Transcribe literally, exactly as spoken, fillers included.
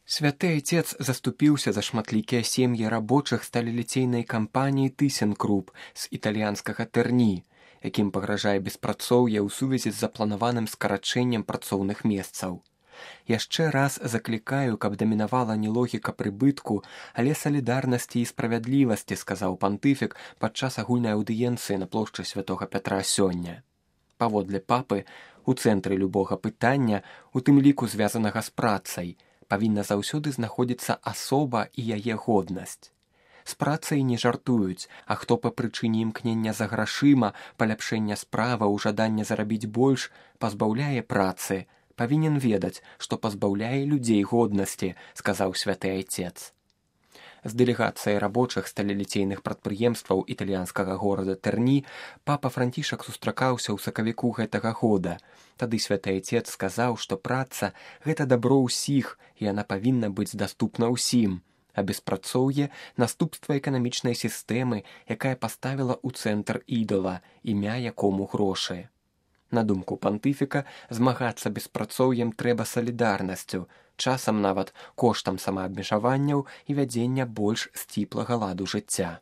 Святы айцец заступіўся за шматлікія сем'і рабочых сталеліцейнай кампаніі «Тысенкруп» з італьянскага Тэрні, якім пагражае беспрацоўе ў сувязі з запланаваным скарачэннем працоўных месцаў. Яшчэ раз заклікаю, каб дамінавала не логіка прыбытку, але салідарнасці і справядлівасці, сказаў пантыфік падчас агульнай аўдыенцыі на плошчы Святога Пятра сёння. Паводле папы, у цэнтры любога пытання, у тым ліку звязанага з працай, павінна заўсёды знаходзіцца асоба і яе годнасць. З працай не жартуюць, а хто па прычыне імкнення за грашыма, паляпшэння справы, жадання зарабіць больш, пазбаўляе працы, павінен ведаць, што пазбаўляе людзей годнасці, сказаў святы айцец. З дэлегацыяй рабочых сталеліцейных прадпрыемстваў італьянскага горада Тэрні папа Францішак сустракаўся ў сакавіку гэтага года. Тады святы айцец сказаў, што праца – гэта дабро ўсіх, і яна павінна быць даступна ўсім, а беспрацоўе – наступства эканамічнай сістэмы, якая паставіла ў цэнтр ідала, імя якому грошы. На думку пантыфіка, змагацца беспрацоўем трэба салідарнасцю, часам нават коштам самаабмежаванняў і вядзення больш сціплага ладу жыцця.